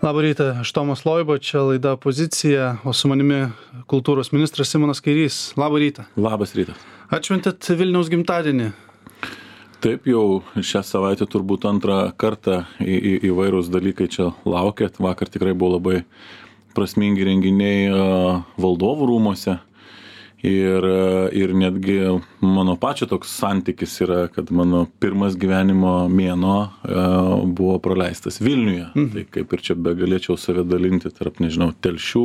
Labą rytą, aš Tomas Loiba, čia laida Pozicija, o su manimi kultūros ministras Simonas Kairys. Labą rytą. Labas rytas. Atšventėt Vilniaus gimtadienį. Taip, jau šią savaitę turbūt antrą kartą įvairūs dalykai čia laukėt. Vakar tikrai buvo labai prasmingi renginiai valdovų rūmuose. Ir netgi mano pačio toks santykis yra, kad mano pirmas gyvenimo mėnuo buvo praleistas Vilniuje. Tai kaip ir čia begalėčiau save dalinti tarp, nežinau, Telšių,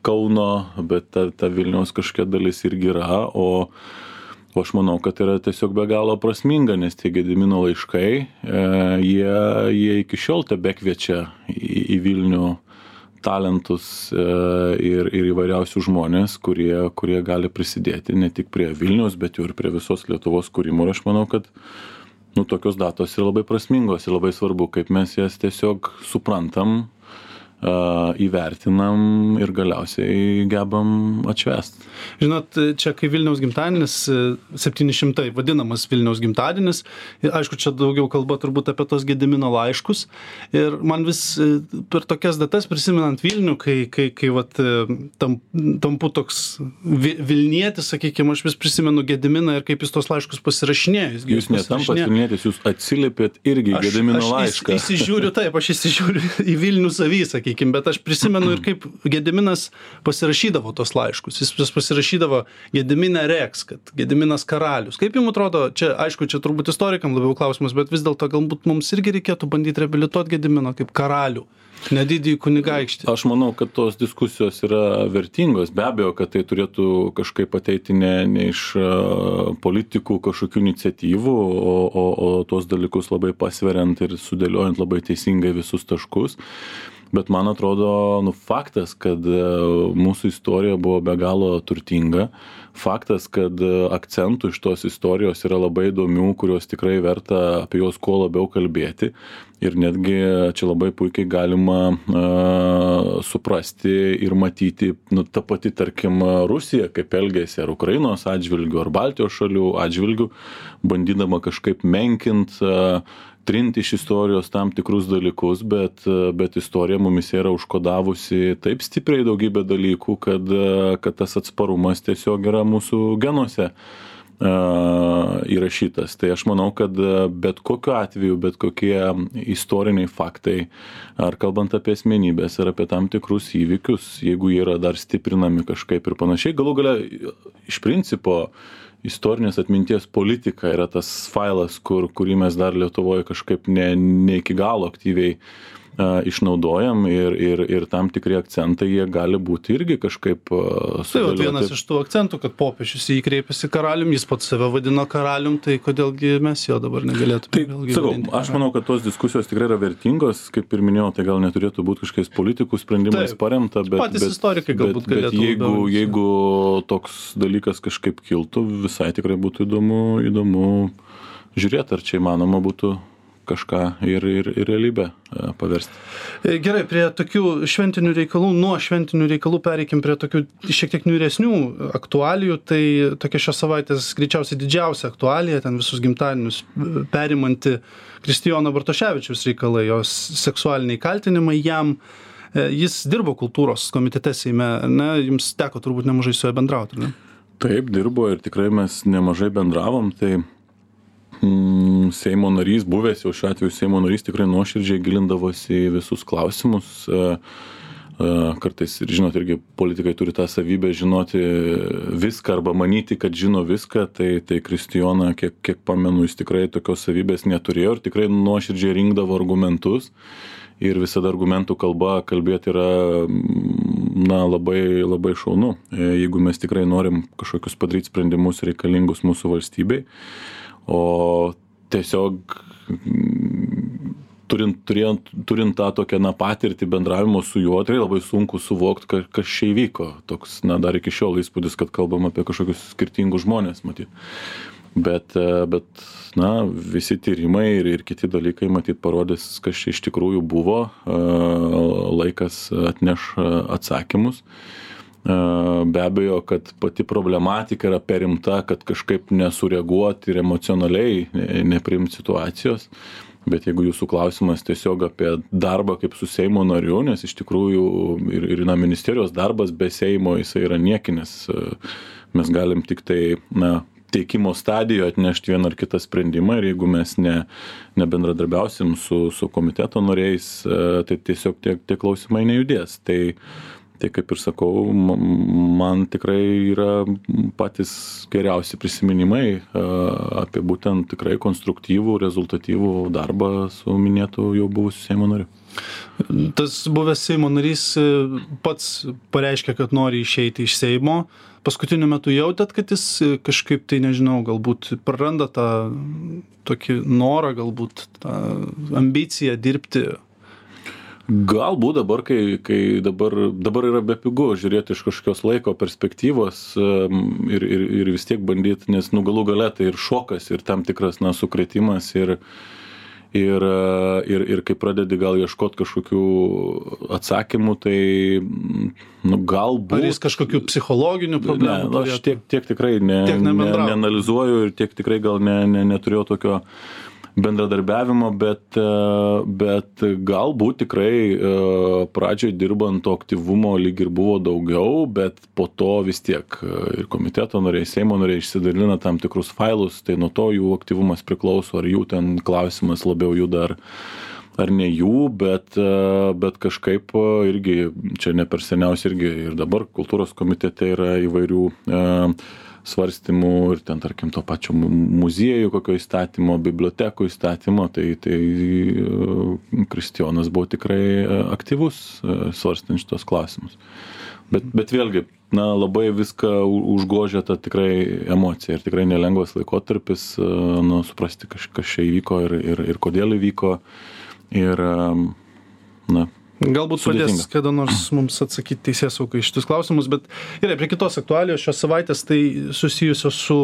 Kauno, bet ta Vilniaus kažkokia dalis irgi yra, o aš manau, kad yra tiesiog be galo prasminga, nes tie Gedimino laiškai, jie iki šiol tebekviečia į Vilnių talentus ir įvairiausių žmonės, kurie gali prisidėti ne tik prie Vilniaus, bet jau ir prie visos Lietuvos kūrimo. Ir aš manau, kad tokios datos yra labai prasmingos ir labai svarbu, kaip mes jas tiesiog suprantam, įvertinam ir galiausiai gebam atšvęst. Žinot, čia kai Vilniaus gimtadienis, 700 vadinamas Vilniaus gimtadienis, aišku, čia daugiau kalba turbūt apie tos Gedimino laiškus. Ir man vis per tokias datas prisimenant Vilnių, kai vat, tampu toks Vilnietis, sakykime, aš vis prisimenu Gediminą ir kaip jis tos laiškus pasirašinėjo. Jūs netampat Vilnietis, jūs atsiliepėt irgi Gedimino laišką. Aš įsižiūriu į Vilnių savį, sakykime. Bet aš prisimenu ir kaip Gediminas pasirašydavo tos laiškus. Jis pasirašydavo Gedimine Rex, kad Gediminas karalius. Kaip jums atrodo, čia aišku, čia turbūt istorikam labiau klausimas, bet vis dėlto galbūt mums irgi reikėtų bandyti reabilituoti Gediminą kaip karalių, nedidįjį kunigaikštį. Aš manau, kad tos diskusijos yra vertingos. Be abejo, kad tai turėtų kažkaip ateiti ne iš politikų kažkokių iniciatyvų, o tos dalykus labai pasveriant ir sudėliojant labai teisingai visus taškus. Bet man atrodo, faktas, kad mūsų istorija buvo be galo turtinga, faktas, kad akcentų iš tos istorijos yra labai įdomių, kurios tikrai verta apie juos kuo labiau kalbėti. Ir netgi čia labai puikiai galima suprasti ir matyti, ta pati, tarkim, Rusija, kaip elgėsi ar Ukrainos atžvilgių, ar Baltijos šalių atžvilgių, bandydama kažkaip menkint, trinti iš istorijos tam tikrus dalykus, bet istorija mumis yra užkodavusi taip stipriai daugybę dalykų, kad tas atsparumas tiesiog yra mūsų genuose įrašytas. Tai aš manau, kad bet kokiu atveju, bet kokie istoriniai faktai, ar kalbant apie asmenybės, ar apie tam tikrus įvykius, jeigu jie yra dar stiprinami kažkaip ir panašiai, galų gale iš principo istorinės atminties politika yra tas failas, kurį mes dar Lietuvoje kažkaip ne iki galo aktyviai išnaudojam ir tam tikri akcentai jie gali būti irgi kažkaip sudėlioti. Tai vienas iš tų akcentų, kad popiežius jį kreipėsi karalium, jis pats save vadino karalium, tai kodėlgi mes jo dabar negalėtume vėlgi vadinti. Aš manau, kad tos diskusijos tikrai yra vertingos, kaip ir minėjau, tai gal neturėtų būti kažkokiais politikų sprendimais paremta, patys istorikai galbūt galėtų. Jeigu toks dalykas kažkaip kiltų, visai tikrai būtų įdomu žiūrėti, ar čia įmanoma būtų kažką ir realybę paversti. Gerai, prie tokių šventinių reikalų, nuo šventinių reikalų pereikim prie tokių šiek tiek niūresnių aktualijų. Tai tokia šios savaitės greičiausiai didžiausia aktualija, ten visus gimtadienius perimanti Kristijono Bartoševičiaus reikalai, jos seksualiniai kaltinimai jam. Jis dirbo kultūros komitete Seime, ne? Jums teko turbūt nemažai su juo bendrauti, ne? Taip, dirbo ir tikrai mes nemažai bendravom, tai Seimo narys, buvęs jau šiuo atveju Seimo narys, tikrai nuoširdžiai gilindavosi į visus klausimus. Kartais, ir žinot, irgi politikai turi tą savybę žinoti viską arba manyti, kad žino viską, tai Kristijona, kiek pamenu, jis tikrai tokios savybės neturėjo ir tikrai nuoširdžiai rinkdavo argumentus. Ir visada argumentų kalba kalbėti yra labai, labai šaunu, jeigu mes tikrai norim kažkokius padaryti sprendimus reikalingus mūsų valstybei. O tiesiog turint tą tokią patirtį bendravimo su juo, tai labai sunku suvokti, kas čia įvyko. Toks, dar iki šiol įspūdis, kad kalbam apie kažkokius skirtingus žmonės, matyt. Bet visi tyrimai ir kiti dalykai, matyt, parodys, kas čia iš tikrųjų buvo. Laikas atneš atsakymus. Be abejo, kad pati problematika yra per rimta, kad kažkaip nesureaguoti ir emocionaliai nepriimti situacijos. Bet jeigu jūsų klausimas tiesiog apie darbą kaip su Seimo nariu, nes iš tikrųjų ir ministerijos darbas be Seimo jisai yra niekinis. Mes galim tik tai, teikimo stadijoje atnešti vieną ar kitą sprendimą ir jeigu mes nebendradarbiausim su komiteto nariais, tai tiesiog tie klausimai nejudės. Tai kaip ir sakau, man tikrai yra patys geriausi prisiminimai apie būtent tikrai konstruktyvų, rezultatyvų darbą su minėtu jau buvusiu Seimo nariu. Tas buvęs Seimo narys pats pareiškė, kad nori išeiti iš Seimo. Paskutiniu metu jautėt, kad jis kažkaip, tai nežinau, galbūt praranda tą tokį norą, galbūt tą ambiciją dirbti? Galbūt dabar, kai dabar yra bepigu žiūrėti iš kažkokios laiko perspektyvos ir vis tiek bandyti, nes galų gale tai ir šokas, ir tam tikras sukrėtimas, ir kai pradedi gal ieškoti kažkokių atsakymų, tai galbūt... Ar jis kažkokių psichologinių problemų? Ne, aš tiek tikrai neanalizuoju ir tiek tikrai gal neturėjau tokio bendradarbiavimo, bet galbūt tikrai pradžioj dirbant to aktyvumo lyg ir buvo daugiau, bet po to vis tiek ir komiteto nariai, Seimo nariai išsidalina tam tikrus failus, tai nuo to jų aktyvumas priklauso, ar jų ten klausimas labiau juda ar ne jų, bet kažkaip irgi, čia ne per seniausiai irgi ir dabar kultūros komitete yra įvairių svarstymų ir ten, tarkim, to pačio muziejų kokio įstatymo, bibliotekų įstatymo, tai Kristijonas buvo tikrai aktyvus svarstant šitos klausimus. Bet vėlgi, labai viską užgožia ta tikrai emocija ir tikrai nelengvas laikotarpis, suprasti, kas čia įvyko ir kodėl įvyko. Ir, galbūt sudėtinga. Padės kada nors mums atsakyti teisėsaugai šitus klausimus, bet gerai, prie kitos aktualijos šios savaitės, tai susijusios su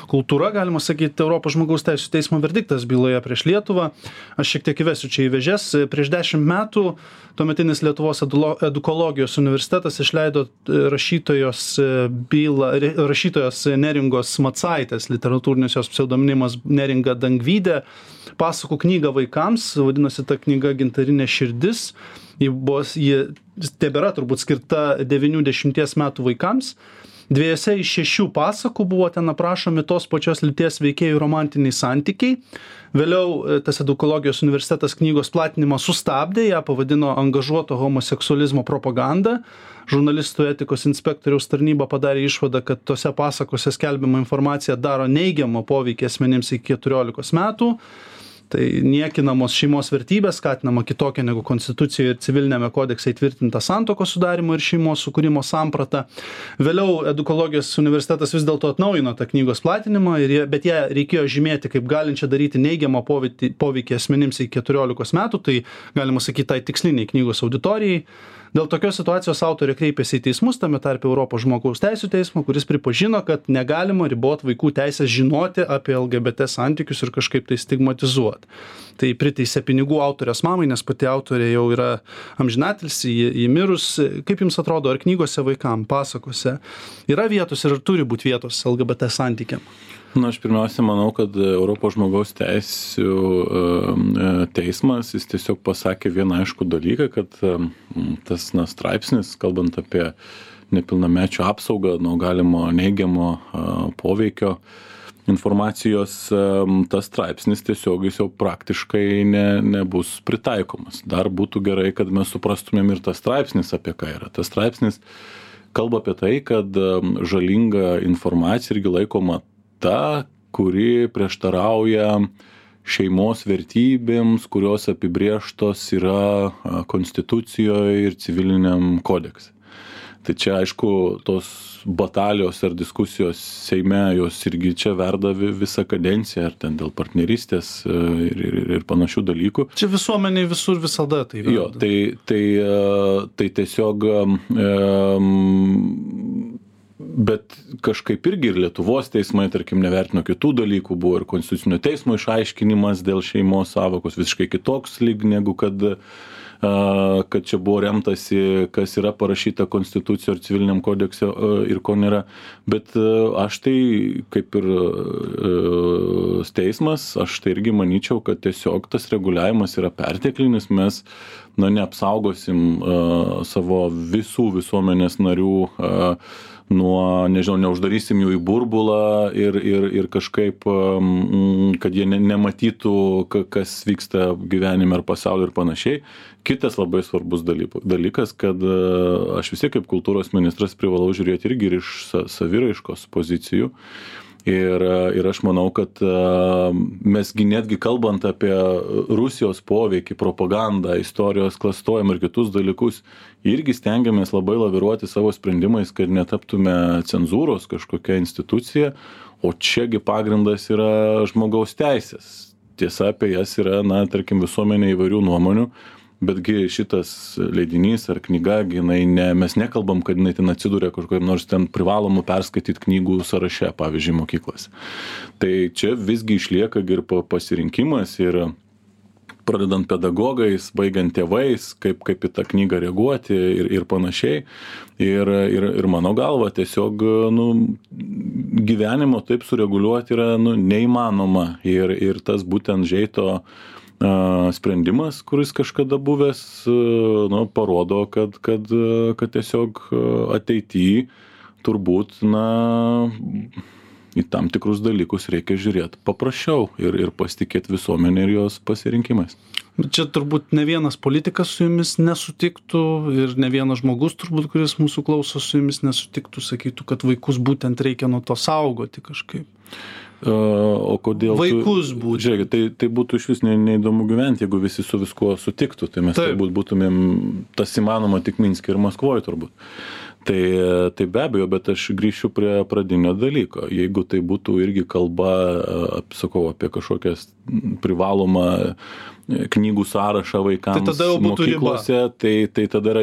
kultūra, galima sakyti, Europos žmogaus teisių teismo verdiktas byloje prieš Lietuvą. Aš šiek tiek įvesiu čia į vėžes. Prieš 10 metų tuometinis Lietuvos edukologijos universitetas išleido rašytojos Neringos Macaitės, literatūrinis jos pseudonimas Neringa Dangvydė, pasakų knygą vaikams, vadinosi ta knyga Gintarinė širdis. Ji tebėra turbūt skirta 9-10 metų vaikams. 2 iš 6 pasakų buvo ten aprašomi tos pačios lyties veikėjų romantiniai santykiai. Vėliau tas edukologijos universitetas knygos platinimą sustabdė, ją pavadino angažuoto homoseksualizmo propaganda. Žurnalistų etikos inspektoriaus tarnyba padarė išvadą, kad tose pasakose skelbiama informacija daro neigiamą poveikį asmenims iki 14 metų. Tai niekinamos šeimos vertybės, skatinama kitokia negu konstitucijoje ir civilinėme kodekse įtvirtinta santuokos sudarimo ir šeimos sukūrimo samprata. Vėliau edukologijos universitetas vis dėlto atnaujino tą knygos platinimą, bet ją reikėjo žymėti kaip galinčią daryti neigiamą poveikį asmenims iki 14 metų, tai galima sakyti tai tiksliniai knygos auditorijai. Dėl tokios situacijos autorė kreipėsi į teismus, tame tarpe Europos žmogaus teisių teismo, kuris pripažino, kad negalima riboti vaikų teisės žinoti apie LGBT santykius ir kažkaip tai stigmatizuoti. Tai priteisė pinigų autorės mamai, nes pati autorė jau yra amžinatilsį, ji mirus. Kaip jums atrodo, ar knygose vaikam, pasakose yra vietos ir ar turi būti vietos LGBT santykiam? Aš pirmiausia manau, kad Europos žmogaus teisių teismas, jis tiesiog pasakė vieną aiškų dalyką, kad tas straipsnis, kalbant apie nepilnamečių apsaugą nuo galimo neigiamo poveikio informacijos, tas straipsnis tiesiog jis jau praktiškai nebus pritaikomas. Dar būtų gerai, kad mes suprastumėm ir tas straipsnis apie ką yra. Tas straipsnis kalba apie tai, kad žalinga informacija irgi laikoma ta, kuri prieštarauja šeimos vertybėms, kurios apibrėžtos yra konstitucijoje ir civiliniam kodekse. Tai čia, aišku, tos batalijos ar diskusijos Seime, jos irgi čia verda visą kadenciją, ar ten dėl partnerystės ir panašių dalykų. Čia visuomeniai visur visada tai verda. Jo, tai tiesiog... Bet kažkaip irgi ir Lietuvos teismai, tarkim, nevertino kitų dalykų, buvo ir Konstitucinio teismo išaiškinimas dėl šeimos sąvokos visiškai kitoks lyg negu kad kad čia buvo remtasi, kas yra parašyta konstitucijoje ar civiliniam kodekse ir ko nėra. Bet aš tai, kaip ir teismas, aš tai irgi manyčiau, kad tiesiog tas reguliavimas yra perteklinis, mes neapsaugosim savo visų visuomenės narių nuo, nežinau, neuždarysim jų į burbulą ir kažkaip, kad jie nematytų, kas vyksta gyvenime ar pasaulyje ir panašiai. Kitas labai svarbus dalykas, kad aš vis tiek kaip kultūros ministras privalau žiūrėti irgi ir iš saviraiškos pozicijų. Ir aš manau, kad mesgi netgi kalbant apie Rusijos poveikį, propagandą, istorijos klastojimą ir kitus dalykus, irgi stengiamės labai laviruoti savo sprendimais, kad netaptume cenzūros kažkokia institucija, o čiagi pagrindas yra žmogaus teisės. Tiesa, apie jas yra, tarkim, visuomenė įvairių nuomonių, betgi šitas leidinys ar knyga, mes nekalbam, kad jinai ten atsidūrė kažkokiam nors ten privalomų perskaityti knygų sąraše, pavyzdžiui, mokyklose. Tai čia visgi išlieka ir pasirinkimas ir pradedant pedagogais, baigiant tėvais, kaip į tą knygą reaguoti ir panašiai. Ir mano galva tiesiog gyvenimo taip sureguliuoti yra neįmanoma. Ir tas būtent Žeito sprendimas, kuris kažkada buvęs, parodo, kad tiesiog ateityje turbūt į tam tikrus dalykus reikia žiūrėti paprasčiau ir pasitikėti visuomenė ir jos pasirinkimais. Čia turbūt ne vienas politikas su jumis nesutiktų ir ne vienas žmogus turbūt, kuris mūsų klauso, su jumis nesutiktų, sakytų, kad vaikus būtent reikia nuo to saugoti kažkaip. O kodėl vaikus būtų? Žiūrėkit, tai būtų iš vis neįdomu gyventi, jeigu visi su viskuo sutiktų, tai mes turbūt būtumėm tas įmanoma tik Minske ir Maskvoje turbūt. Tai be abejo, bet aš grįšiu prie pradinio dalyko. Jeigu tai būtų irgi kalba, sakau, apie kažkokias privalomą knygų sąrašą vaikams mokyklose, tai tada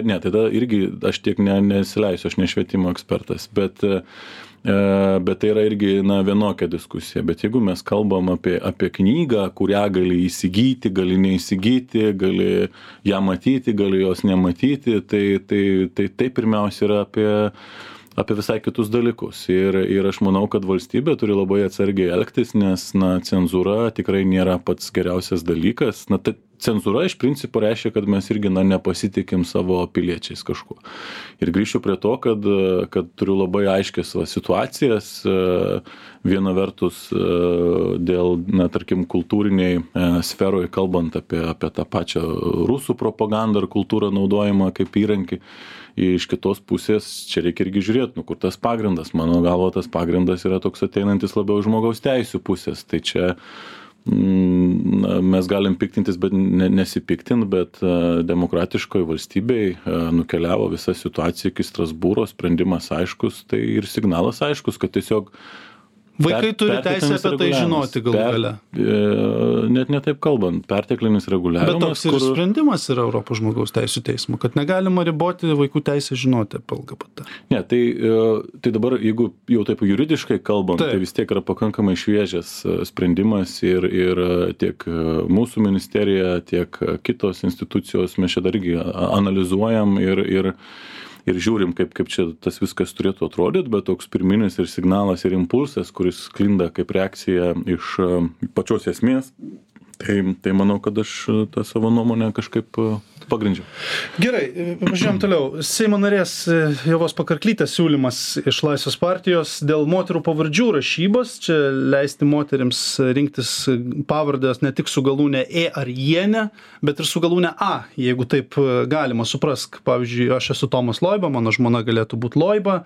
irgi aš tiek nesileisiu, aš ne švietimo ekspertas, bet tai yra irgi vienokia diskusija. Bet jeigu mes kalbam apie knygą, kurią gali įsigyti, gali neįsigyti, gali ją matyti, gali jos nematyti, tai pirmiausia yra apie visai kitus dalykus. Ir aš manau, kad valstybė turi labai atsargiai elgtis, nes cenzūra tikrai nėra pats geriausias dalykas. Cenzūra iš principo reiškia, kad mes irgi nepasitikim savo piliečiais kažkuo. Ir grįšiu prie to, kad turiu labai aiškias situacijas. Viena vertus dėl, tarkim, kultūriniai sferoje, kalbant apie tą pačią rusų propagandą ar kultūrą naudojimą kaip įrankį. Iš kitos pusės čia reikia irgi žiūrėti, kur tas pagrindas. Mano galva, tas pagrindas yra toks ateinantis labiau žmogaus teisių pusės. Tai čia mes galim piktintis, bet nesipiktin, bet demokratiškoje valstybėje nukeliavo visa situacija iki Strasbūro, sprendimas aiškus, tai ir signalas aiškus, kad tiesiog vaikai turi teisę apie tai žinoti galų gale. Net netaip kalbant, perteklinis reguliavimas. Bet toks ir sprendimas yra Europos žmogaus teisų teismo, kad negalima riboti vaikų teisę žinoti apie LGBT. Ne, tai dabar, jeigu jau taip juridiškai kalbant, tai vis tiek yra pakankamai šviežias sprendimas ir tiek mūsų ministerija, tiek kitos institucijos mes čia dargi analizuojam ir žiūrim, kaip čia tas viskas turėtų atrodyti, bet toks pirminis ir signalas ir impulsas, kuris sklinda kaip reakcija iš pačios esmės, tai manau, kad aš tą savo nuomonę kažkaip pagrindžiau. Gerai, važiuojam toliau. Seimo narės Ievos Pakarklytės siūlymas iš Laisvės partijos dėl moterų pavardžių rašybos. Čia leisti moterims rinktis pavardės ne tik su galūne E ar Jienė, bet ir su galūne A, jeigu taip galima suprask. Pavyzdžiui, aš esu Tomas Loiba, mano žmona galėtų būti Loiba,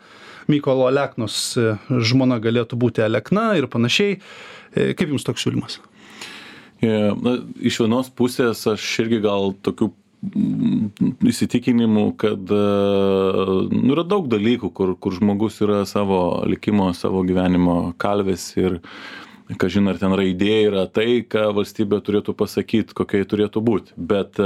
Mykolo Aleknos žmona galėtų būti Alekna ir panašiai. Kaip jums toks siūlymas? Iš vienos pusės aš irgi gal tokių įsitikinimų, kad yra daug dalykų, kur žmogus yra savo likimo, savo gyvenimo kalvis ir kažin ar ten raidė yra tai, ką valstybė turėtų pasakyti, kokia turėtų būti. Bet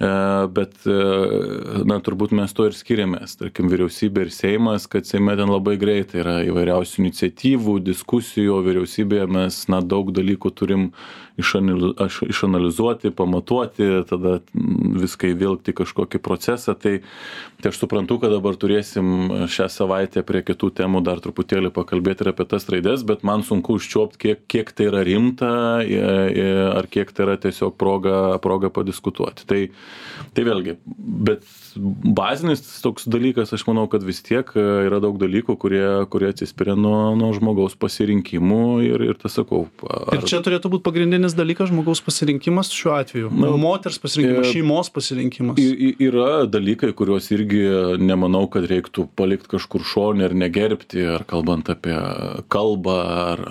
bet, na, turbūt mes to ir skiriamės, tarkim, vyriausybė ir Seimas, kad Seime ten labai greitai yra įvairiausių iniciatyvų, diskusijų, vyriausybėje mes, na, daug dalykų turim išanalizuoti, pamatuoti, tada viską įvilkti kažkokį procesą, tai aš suprantu, kad dabar turėsim šią savaitę prie kitų temų dar truputėlį pakalbėti ir apie tas raides, bet man sunku užčiuopti, kiek tai yra rimta, ar kiek tai yra tiesiog proga padiskutuoti. Tai vėlgi, bet bazinis toks dalykas, aš manau, kad vis tiek yra daug dalykų, kurie atsispiria nuo žmogaus pasirinkimų ir tas sakau. Ir čia turėtų būti pagrindinis dalykas žmogaus pasirinkimas šiuo atveju. Moters pasirinkimas, šeimos pasirinkimas. Yra dalykai, kuriuos irgi nemanau, kad reiktų palikti kažkur šonį ir negerbti, ar kalbant apie kalbą,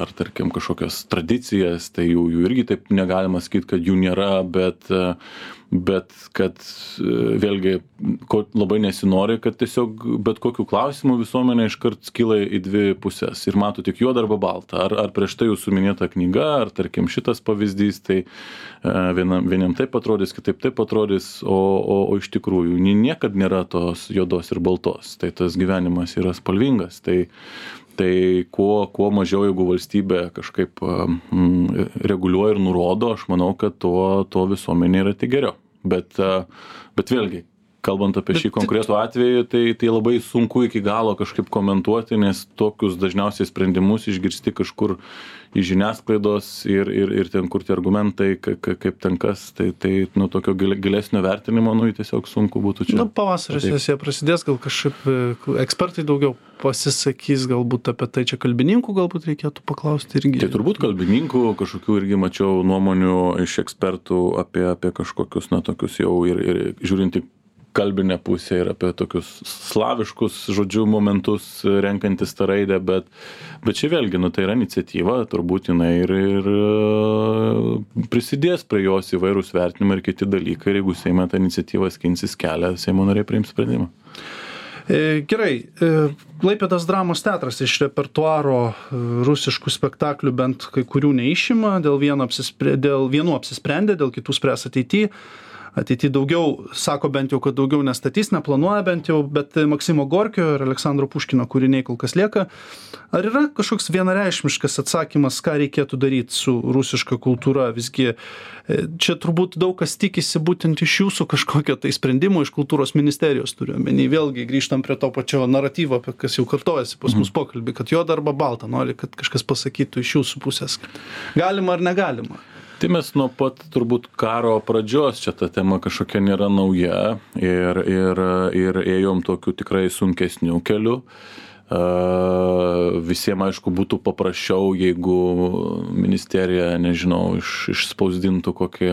ar tarkim kažkokias tradicijas, tai jų irgi taip negalima sakyti, kad jų nėra, bet kad vėlgi labai nesinori, kad tiesiog bet kokių klausimų visuomenė iškart skyla į dvi pusės ir mato tik juodą arba baltą, ar prieš tai jūsų minėta knyga, ar tarkim šitas pavyzdys, tai vieniem taip atrodys, kitaip taip atrodys, o iš tikrųjų niekad nėra tos juodos ir baltos, tai tas gyvenimas yra spalvingas, tai kuo mažiau, jeigu valstybė kažkaip reguliuoja ir nurodo, aš manau, kad to visuomenė yra tik geriau. Bet vėlgi, kalbant apie šį konkretų atvejį, tai labai sunku iki galo kažkaip komentuoti, nes tokius dažniausiai sprendimus išgirsti kažkur iš žiniasklaidos ir ten kur tie argumentai, kaip ten kas, tai nuo tokio gilesnio vertinimo, tiesiog sunku būtų čia. Pavasario sesija prasidės, gal kažkaip ekspertai daugiau pasisakys galbūt apie tai, čia kalbininkų galbūt reikėtų paklausti irgi. Tai turbūt kalbininkų, kažkokių irgi mačiau nuomonių iš ekspertų apie kažkokius, tokius jau ir žiūrinti kalbinę pusę ir apie tokius slaviškus, žodžiu, momentus renkantis tą raidę, bet čia vėlgi, tai yra iniciatyva, turbūt jinai ir prisidės prie jos įvairūs vertinimai ir kiti dalykai, ir jeigu Seime tą iniciatyvą skinsis kelią, Seimo nariai priims sprendimą. Gerai, Klaipėdos dramos teatras iš repertuaro rusiškų spektaklių bent kai kurių neišima, dėl vienų apsisprendė, dėl kitų spręs ateityje daugiau, sako bent jau, kad daugiau nestatys, neplanuoja bent jau, bet Maksimo Gorkio ir Aleksandro Puškino kūriniai kol kas lieka. Ar yra kažkoks vienareikšmiškas atsakymas, ką reikėtų daryti su rusiška kultūra? Visgi čia turbūt daug kas tikisi būtent iš jūsų kažkokio tai sprendimo, iš kultūros ministerijos turiu omeny. Vėlgi grįžtam prie to pačio naratyvo, apie kas jau kartojasi pas mus pokalbį, kad juoda arba balta, nori, kad kažkas pasakytų iš jūsų pusės, galima ar negalima. Tai mes nuo pat turbūt karo pradžios čia ta tema kažkokia nėra nauja ir ėjom tokiu tikrai sunkesniu keliu. Visiems, aišku, būtų paprasčiau, jeigu ministerija, nežinau, išspausdintų kokį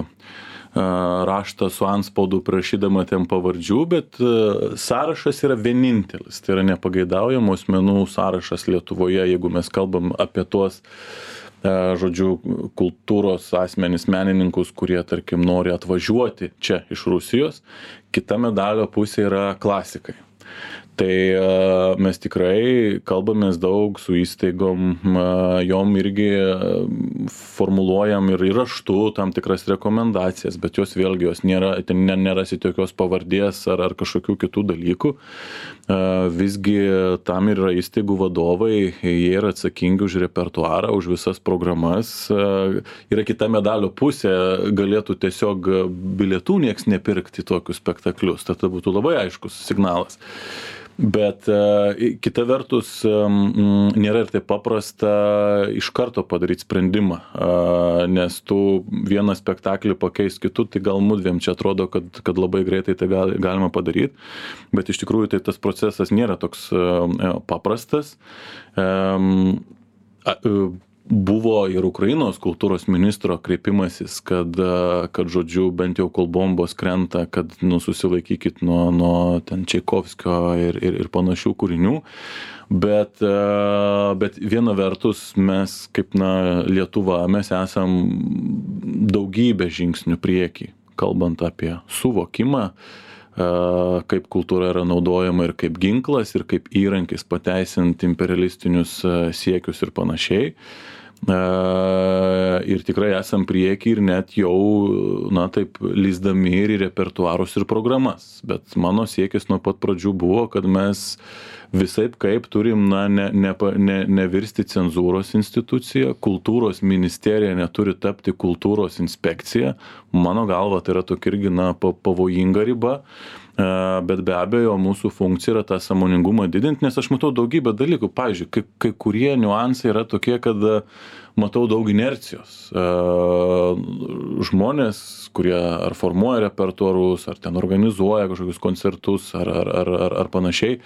raštą su antspaudu prašydama ten pavardžių, bet sąrašas yra vienintelis. Tai yra nepageidaujamų asmenų sąrašas Lietuvoje, jeigu mes kalbam apie tuos žodžiu, kultūros asmenis, menininkus, kurie, tarkim, nori atvažiuoti čia iš Rusijos. Kita medalio pusė yra klasikai. Tai mes tikrai kalbamės daug su įstaigom, jom irgi formuluojam ir raštu tam tikras rekomendacijas, bet jos vėlgi, ten nerasite jokios pavardės ar kažkokių kitų dalykų. Visgi tam yra įstaigų vadovai, jie yra atsakingi už repertuarą, už visas programas. Yra kita medalio pusė, galėtų tiesiog bilietų nieks nepirkti tokius spektaklius, tada būtų labai aiškus signalas. Bet kita vertus nėra ir taip paprasta iš karto padaryti sprendimą, nes tu vieną spektaklį pakeis kitų, tai gal mudviem čia atrodo, kad labai greitai tai galima padaryti, bet iš tikrųjų tai tas procesas nėra toks paprastas. Buvo ir Ukrainos kultūros ministro kreipimasis, kad žodžiu, bent jau kol bombos krenta, kad susilaikykit nuo ten Čaikovskio ir panašių kūrinių. Bet viena vertus mes, kaip Lietuva, mes esam daugybę žingsnių priekį, kalbant apie suvokimą, kaip kultūra yra naudojama ir kaip ginklas, ir kaip įrankis pateisinti imperialistinius siekius ir panašiai. Ir tikrai esam prieki ir net jau, na taip, lįsdami ir į repertuarus ir programas. Bet mano siekis nuo pat pradžių buvo, kad mes visaip kaip turim, na, nevirsti cenzūros instituciją, kultūros ministerija neturi tapti kultūros inspekcija. Mano galva, tai yra tokia irgi, na, pavojinga riba. Bet be abejo, mūsų funkcija yra tą sąmoningumą didinti, nes aš matau daugybę dalykų. Pavyzdžiui, kai kurie niuansai yra tokie, kad matau daug inercijos. Žmonės, kurie ar formuoja repertuarus, ar ten organizuoja kažkokius koncertus, ar panašiai,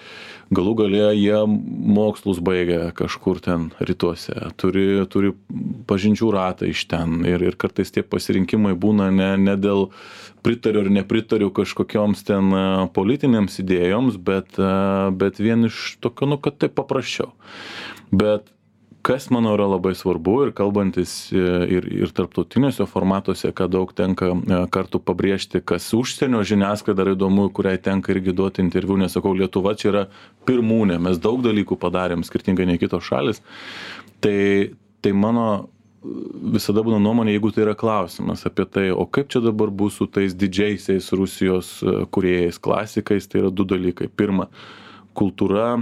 galų gale jie mokslus baigia kažkur ten rytuose, turi pažinčių ratą iš ten ir kartais tie pasirinkimai būna ne dėl pritariu ar nepritariu kažkokioms ten politinėms idėjoms, bet vien iš tokio, nu, kad tai paprasčiau. Bet kas, manau, yra labai svarbu ir kalbantis ir tarptautiniuose formatuose, ką daug tenka kartų pabrėžti, kas užsienio žiniasklaida yra įdomu, kuriai tenka irgi duoti interviu, nesakau, Lietuva čia yra pirmūnė, mes daug dalykų padarėm, skirtingai nei kitos šalis, tai mano visada būna nuomonė, jeigu tai yra klausimas apie tai, o kaip čia dabar bus su tais didžiaisiais Rusijos kūrėjais, klasikais, tai yra du dalykai. Pirma, kultūra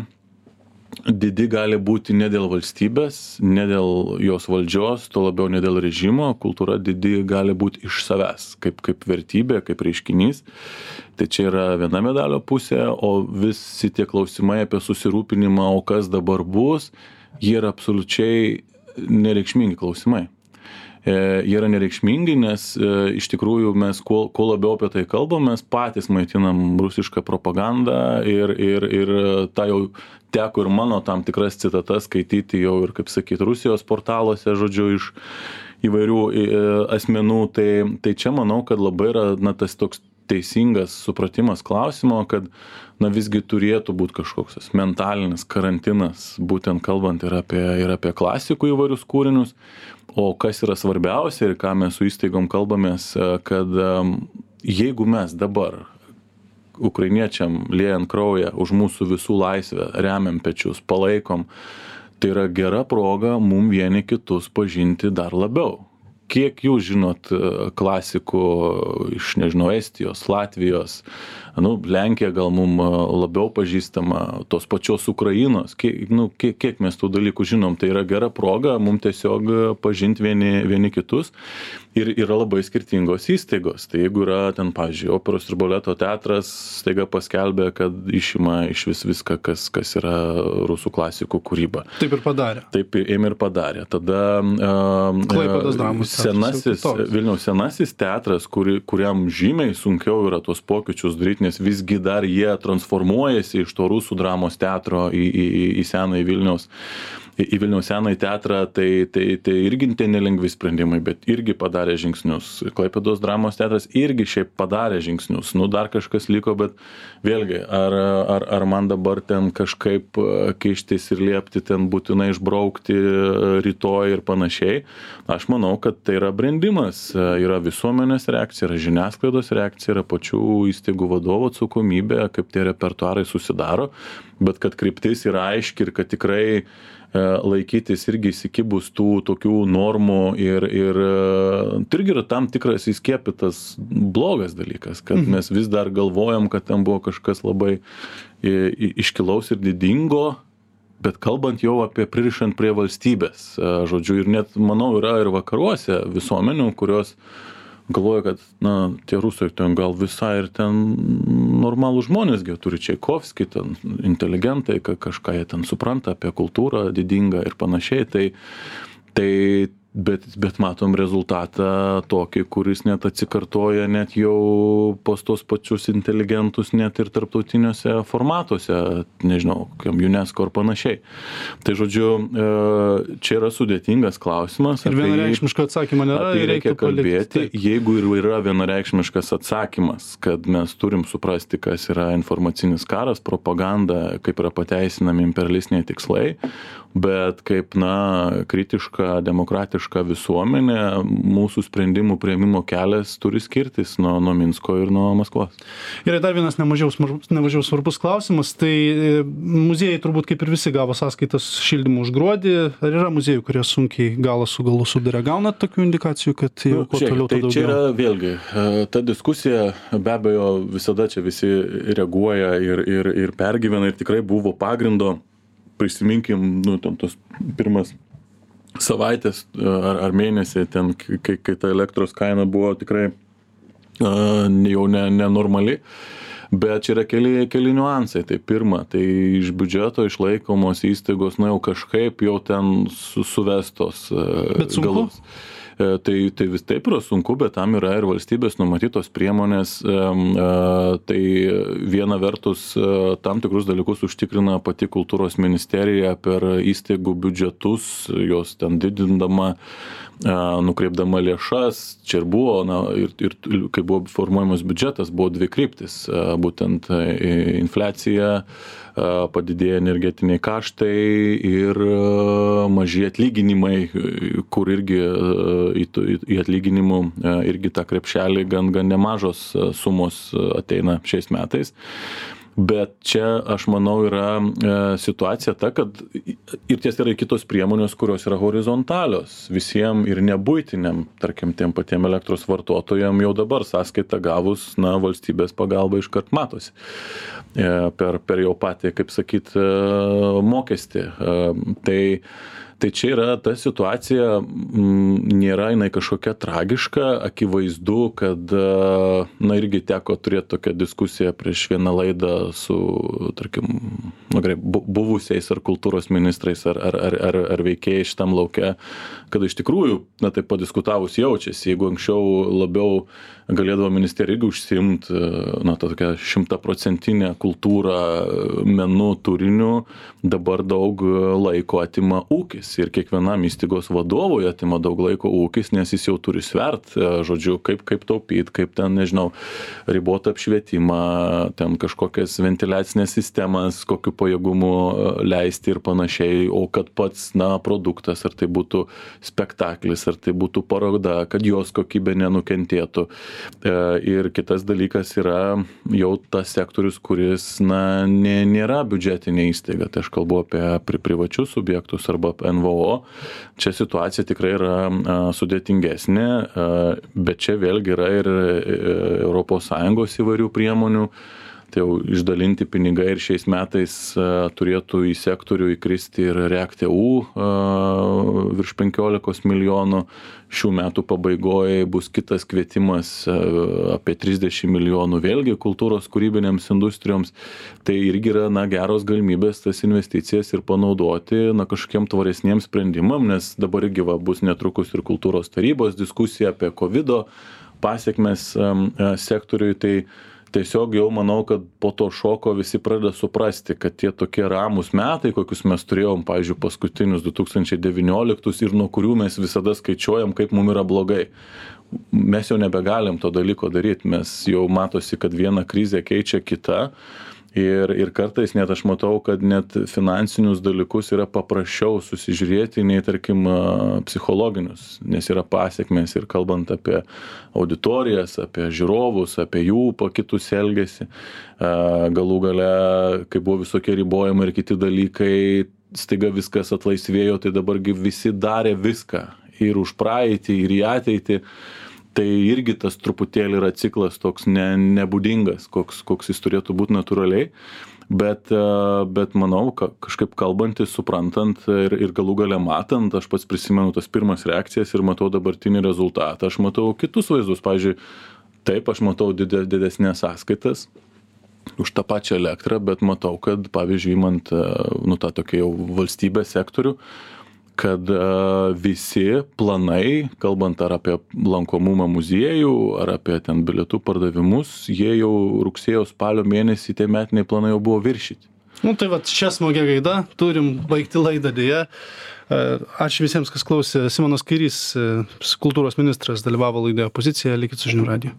didi gali būti ne dėl valstybės, ne dėl jos valdžios, to labiau ne dėl režimo, kultūra didi gali būti iš savęs, kaip vertybė, kaip reiškinys. Tai čia yra viena medalio pusė, o visi tie klausimai apie susirūpinimą, o kas dabar bus, jie yra absoliučiai nereikšmingi klausimai. Jie yra nereikšmingi, nes iš tikrųjų mes kuo labiau apie tai kalbam, mes patys maitinam rusišką propagandą ir tą jau teko ir mano tam tikras citatas skaityti jau ir, kaip sakyti, Rusijos portaluose, žodžiu, iš įvairių asmenų. Tai čia manau, kad labai yra, na, tas toks teisingas supratimas klausimo, kad, na, visgi turėtų būti kažkoks mentalinis karantinas, būtent kalbant ir apie klasikų įvairius kūrinius. O kas yra svarbiausia ir ką mes su įstaigom kalbamės, kad jeigu mes dabar ukrainiečiam liejant kraują už mūsų visų laisvę, remiam pečius, palaikom, tai yra gera proga mum vieni kitus pažinti dar labiau. Kiek jūs žinot klasikų iš, nežinau, Estijos, Latvijos, Lenkija gal mum labiau pažįstama, tos pačios Ukrainos, kiek mes tų dalykų žinom, tai yra gera proga mum tiesiog pažinti vieni kitus ir yra labai skirtingos įstaigos. Tai jeigu yra ten, pavyzdžiui, operos ir baleto teatras staiga paskelbė, kad išima iš viską, kas yra rusų klasikų kūryba. Taip ir padarė. Taip ėmė ir padarė. Tada Klaipėdos dramos teatras, Vilniaus senasis teatras, kuriam žymiai sunkiau yra tos pokyčius daryti, nes visgi dar jie transformuojasi iš to rusų dramos teatro į senąjį Vilniaus senąjį teatrą, tai irgi nelengvi sprendimai, bet irgi padarė žingsnius. Klaipėdos dramos teatras irgi šiaip padarė žingsnius. Dar kažkas liko, bet vėlgi, ar man dabar ten kažkaip kištis ir liepti ten būtinai išbraukti rytoj ir panašiai. Aš manau, kad tai yra brendimas. Yra visuomenės reakcija, yra žiniasklaidos reakcija, yra pačių įstaigų vadovų atsakomybė, kaip tie repertuarai susidaro, bet kad kryptis yra aiški ir kad tikrai laikytis irgi įsikibus tų tokių normų ir tai irgi yra tam tikras įskiepytas blogas dalykas, kad mes vis dar galvojam, kad ten buvo kažkas labai iškilaus ir didingo, bet kalbant jau apie pririšant prie valstybės, žodžiu, ir net, manau, yra ir vakaruose visuomenių, kurios galvoja, kad, tie rusai ten gal visai ir ten normalų žmonės, turi Čaikovskį, ten inteligentai, kažką jie ten supranta apie kultūrą didingą ir panašiai, bet matom rezultatą tokį, kuris net atsikartoja net jau pas tos pačius inteligentus net ir tarptautiniuose formatuose, nežinau, kokiam UNESCO ar panašiai. Tai žodžiu, čia yra sudėtingas klausimas. Ir vienareikšmiško atsakymo nėra. Apie reikia kalbėti. Jeigu ir yra vienareikšmiškas atsakymas, kad mes turim suprasti, kas yra informacinis karas, propaganda, kaip yra pateisinami imperialistiniai tikslai, bet kaip, kritiška, demokratiška visuomenė, mūsų sprendimų priėmimo kelias turi skirtis nuo Minsko ir nuo Maskvos. Ir dar vienas nemažiau svarbus klausimas, tai muziejai turbūt kaip ir visi gavo sąskaitas šildymų už gruodį, ar yra muziejų, kurie sunkiai galą su galu sudarė? Gaunat tokių indikacijų, kad jau kuo toliau to daugiau? Čia yra vėlgi, ta diskusija, be abejo, visada čia visi reaguoja ir pergyvena ir tikrai buvo pagrindo. Prisiminkim, ten tos pirmas savaitės ar mėnesį, ten, kai ta elektros kaina buvo tikrai jau nenormali, bet čia yra keli niuansai. Tai pirma, tai iš biudžeto išlaikomos įstaigos, jau kažkaip jau ten suvestos galus. Tai vis taip yra sunku, bet tam yra ir valstybės numatytos priemonės. Tai viena vertus tam tikrus dalykus užtikrina pati kultūros ministerija per įstaigų biudžetus, jos ten didindama, nukreipdama lėšas. Čia ir buvo, ir kai buvo formuojamas biudžetas, buvo dvi kryptis. Būtent infliacija, padidėja energetiniai kaštai ir maži atlyginimai, kur irgi į atlyginimų irgi tą krepšelį gan nemažos sumos ateina šiais metais. Bet čia, aš manau, yra situacija ta, kad ir ties yra kitos priemonės, kurios yra horizontalios. Visiems ir nebuitiniam, tarkim, tiem patiem elektros vartotojam jau dabar sąskaitą gavus, valstybės pagalba iškart matosi. Per jau patį, kaip sakyt, mokestį. Tai čia yra ta situacija, nėra jinai kažkokia tragiška, akivaizdu, kad, irgi teko turėti tokią diskusiją prieš vieną laidą su, tarkim, buvusiais ar kultūros ministrais ar veikėjai šitam lauke, kad iš tikrųjų, taip padiskutavus jaučiasi, jeigu anksčiau labiau galėdavo ministerija irgi užsiimti, tą tokią 100% kultūrą, menų, turinių, dabar daug laiko atima ūkis. Ir kiekvienam įstaigos vadovui atima daug laiko ūkis, nes jis jau turi svert, žodžiu, kaip taupyti, kaip ten, nežinau, ribotą apšvietimą, ten kažkokias ventiliacinės sistemas, kokiu pajėgumu leisti ir panašiai, o kad pats, produktas, ar tai būtų spektaklis, ar tai būtų paroda, kad jos kokybė nenukentėtų. Ir kitas dalykas yra jau tas sektorius, kuris, nėra biudžetinė įstaiga. Tai aš kalbu apie privačius subjektus arba NVO. Čia situacija tikrai yra sudėtingesnė, bet čia vėlgi yra ir ES įvairių priemonių. Tai jau išdalinti pinigai ir šiais metais turėtų į sektorių įkristi ir REACT-EU virš 15 milijonų. Šių metų pabaigoje bus kitas kvietimas apie 30 milijonų vėlgi kultūros kūrybinėms industrijoms. Tai irgi yra geros galimybės tas investicijas ir panaudoti kažkokiem tvaresniems sprendimam, nes dabar irgi bus netrukus ir kultūros tarybos diskusija apie COVID pasiekmes sektoriui. Tai tiesiog jau manau, kad po to šoko visi pradeda suprasti, kad tie tokie ramūs metai, kokius mes turėjom, pavyzdžiui, paskutinius 2019 ir nuo kurių mes visada skaičiuojam, kaip mums yra blogai. Mes jau nebegalim to dalyko daryti, mes jau matosi, kad viena krizė keičia kitą. Ir kartais net aš matau, kad net finansinius dalykus yra paprasčiau susižiūrėti nei, tarkim, psichologinius, nes yra pasiekmės ir kalbant apie auditorijas, apie žiūrovus, apie jų pakitus elgesį. Galų gale, kai buvo visokie ribojimai ir kiti dalykai, staiga viskas atlaisvėjo, tai dabargi visi darė viską ir už praeitį, ir į ateitį. Tai irgi tas truputėlį yra ciklas toks nebūdingas, koks jis turėtų būti natūraliai, bet manau, kažkaip kalbantis, suprantant ir galų gale matant, aš pats prisimenu tas pirmas reakcijas ir matau dabartinį rezultatą, aš matau kitus vaizdus, pavyzdžiui, taip, aš matau didesnės sąskaitas už tą pačią elektrą, bet matau, kad, pavyzdžiui, imant tą tokį jau valstybės sektorių, kad visi planai, kalbant ar apie lankomumą muziejų, ar apie ten bilietų pardavimus, jie jau rugsėjo spalio mėnesį tie metiniai planai jau buvo viršyti. Tai čia smagia gaida, turim baigti laidą dėja. Ačiū visiems, kas klausė. Simonas Kairys, kultūros ministras, dalyvavo laidoje Pozicija, likit su Žinių radiju.